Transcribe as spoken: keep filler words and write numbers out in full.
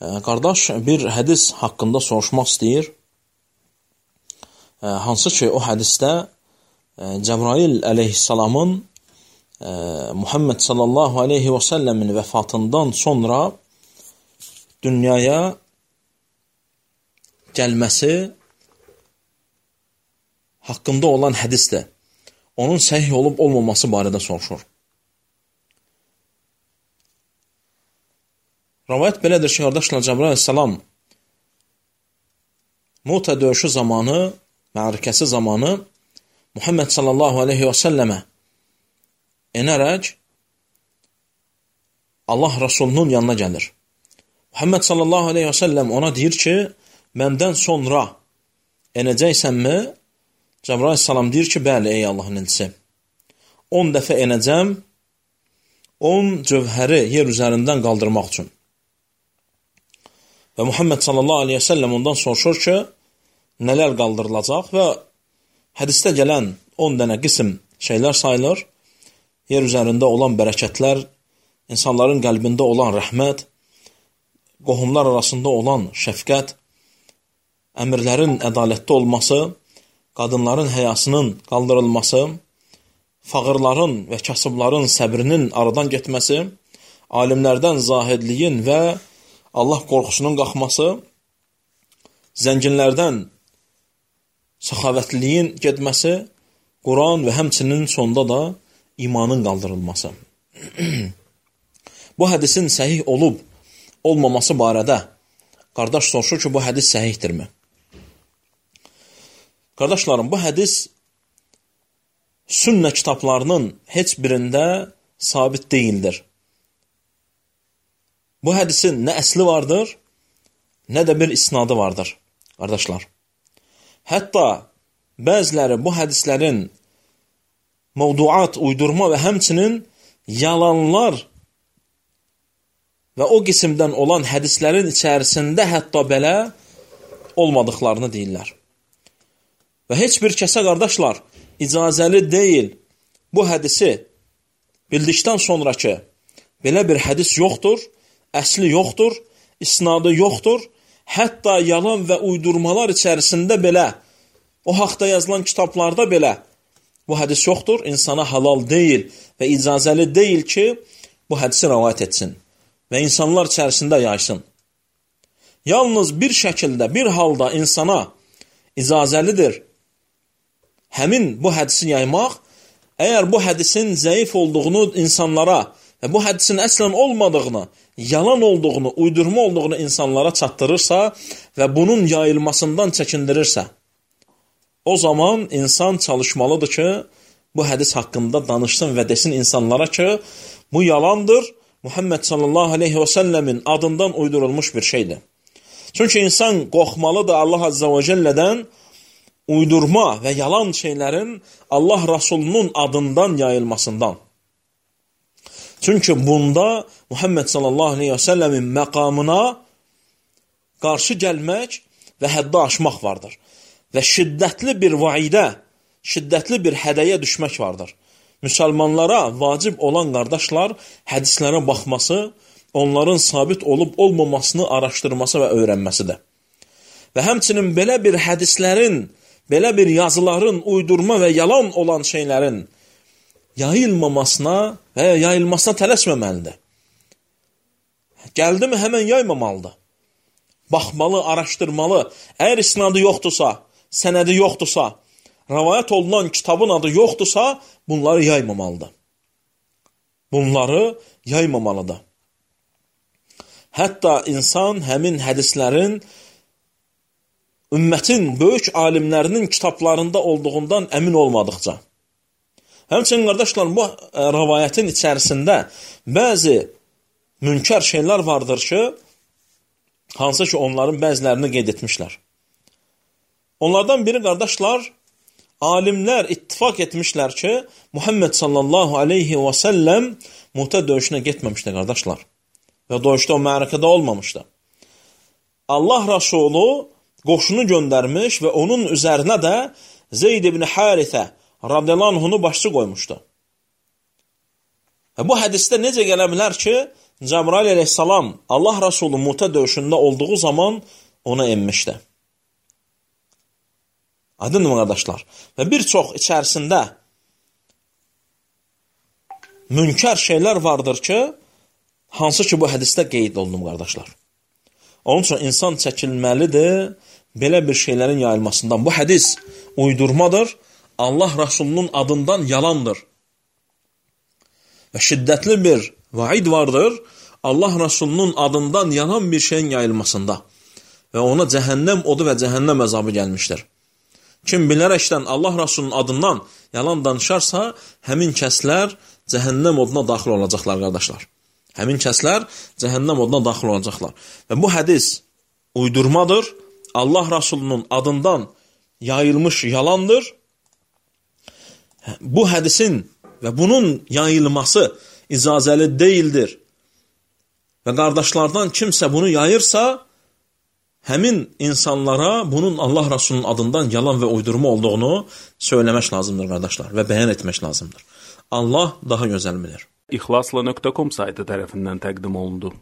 Qardaş bir hədis haqqında soruşmaq istəyir. Hansı ki, o hədisdə Cəbrail əleyhissalamın Muhammed sallallahu aleyhi və səlləmin vəfatından sonra dünyaya gəlməsi haqqında olan hədisdir. Onun səhih olub olmaması barədə soruşur. Rəvayət belədir ki, qardaşlar, Cəbrail əleyhissalam Muta döyüşü zamanı, mərkəsi zamanı Muhammed sallallahu aleyhi və səlləmə enərək Allah Rasulunun yanına gəlir. Muhammed sallallahu aleyhi və səlləm ona deyir ki, məndən sonra enəcəksənmi? Cəbrail əleyhissalam deyir ki, bəli, ey Allahın elçisi. on dəfə enəcəm, on cövhəri yer üzərindən qaldırmaq üçün. Və Muhammed sallallahu aleyhi və səlləm ondan soruşur ki, nələr qaldırılacaq və hədisdə gələn on dənə qism şeylər sayılır. Yer üzərində olan bərəkətlər, insanların qəlbində olan rəhmət, qohumlar arasında olan şəfqət, əmirlərin ədalətli olması, qadınların həyasının qaldırılması, fağırların və kasıbların səbrinin aradan getməsi, alimlərdən zahidliyin və Allah qorxusunun qalxması, zənginlərdən səxavətliyin getməsi, Quran və həmçinin sonda da imanın qaldırılması. Bu hədisin səhih olub olmaması barədə qardaş soruşur ki, bu hədis səhihdirmi? Qardaşlarım, bu hədis sünnə kitablarının heç birində sabit deyildir. Bu hədisin nə əsli vardır, nə də bir isnadı vardır, qardaşlar. Hətta bəziləri bu hədislərin mövduat, uydurma və həmçinin yalanlar və o qisimdən olan hədislərin içərisində hətta belə olmadıqlarını deyirlər. Və heç bir kəsə, qardaşlar, icazəli deyil bu hədisi bildikdən sonra ki, belə bir hədis yoxdur, əsli yoxdur, isnadı yoxdur, hətta yalan və uydurmalar içərisində belə, o haqda yazılan kitablarda belə bu hədis yoxdur, insana halal deyil və icazəli deyil ki, bu hədisi rəvayət etsin və insanlar içərisində yaysın. Yalnız bir şəkildə, bir halda insana icazəlidir həmin bu hədisi yaymaq, əgər bu hədisin zəif olduğunu insanlara və bu hədisin əslən olmadığını, yalan olduğunu, uydurma olduğunu insanlara çatdırırsa və bunun yayılmasından çəkindirirsə, o zaman insan çalışmalıdır ki, bu hədis haqqında danışsın və desin insanlara ki, bu yalandır, Muhammed sallallahu aleyhi və səlləmin adından uydurulmuş bir şeydir. Çünki insan qorxmalıdır Allah azza və cəllədən uydurma və yalan şeylərin Allah Rasulunun adından yayılmasından. Çünki bunda Muhammed sallallahu aleyhi və səlləmin məqamına qarşı gəlmək və həddə aşmaq vardır. Və şiddətli bir vaidə, şiddətli bir hədəyə düşmək vardır. Müsəlmanlara vacib olan qardaşlar hədislərə baxması, onların sabit olub olmamasını araşdırması və öyrənməsidir. Və həmçinin belə bir hədislərin, belə bir yazıların, uydurma və yalan olan şeylərin yayılmamasına və yayılmasına tələsməməlidir. Gəldi mi həmən yaymamalıdır. Baxmalı, araşdırmalı. Əgər isnadı yoxdursa, sənədi yoxdursa, rəvayət olunan kitabın adı yoxdursa, bunları yaymamalıdır. Bunları yaymamalıdır. Hətta insan həmin hədislərin ümmətin böyük alimlərinin kitablarında olduğundan əmin olmadıqca. Həmçinin, qardaşlar, bu rəvayətin içərisində bəzi münkər şeylər vardır ki, hansı ki, onların bəzilərini qeyd etmişlər. Onlardan biri, qardaşlar, alimlər ittifak etmişlər ki, Muhammed sallallahu aleyhi və səlləm Muta döyüşünə getməmişdi, qardaşlar. Və döyüşdə o mərəkədə olmamışdı. Allah Rasulü qoşunu göndərmiş və onun üzərinə də Zeyd ibn Harithə radiyallahu anhunu başçı qoymuşdu. Və bu hədisdə necə gələ bilər ki, Cəbrail əleyhissalam Allah Rəsulü Muta döyüşündə olduğu zaman ona enmişdi. Aydınmı qardaşlar? Və bir çox içərisində münkər şeylər vardır ki, hansı ki bu hədisdə qeyd olunub qardaşlar. Onun üçün insan çəkilməlidir belə bir şeylərin yayılmasından. Bu hədis uydurmadır, Allah Rəsulunun adından yalandır. Və şiddətli bir vaid vardır, Allah Rəsulunun adından yalan bir şeyin yayılmasında. Və ona cəhənnəm odu və cəhənnəm əzabı gəlmişdir. Kim bilərəkdən Allah Rəsulunun adından yalan danışarsa, həmin kəslər cəhənnəm oduna daxil olacaqlar, qardaşlar. Həmin kəslər cəhənnəm oduna daxil olacaqlar. Və bu hədis uydurmadır, Allah Rəsulunun adından yayılmış yalandır. Bu hədisin və bunun yayılması icazəli deyildir. Və qardaşlardan kimsə bunu yayırsa, həmin insanlara bunun Allah Rəsulunun adından yalan və uydurma olduğunu söyləmək lazımdır, qardaşlar, və bəyan etmək lazımdır. Allah daha gözəl bilir. İxlasla nöqtə com saytı tərəfindən təqdim olundu.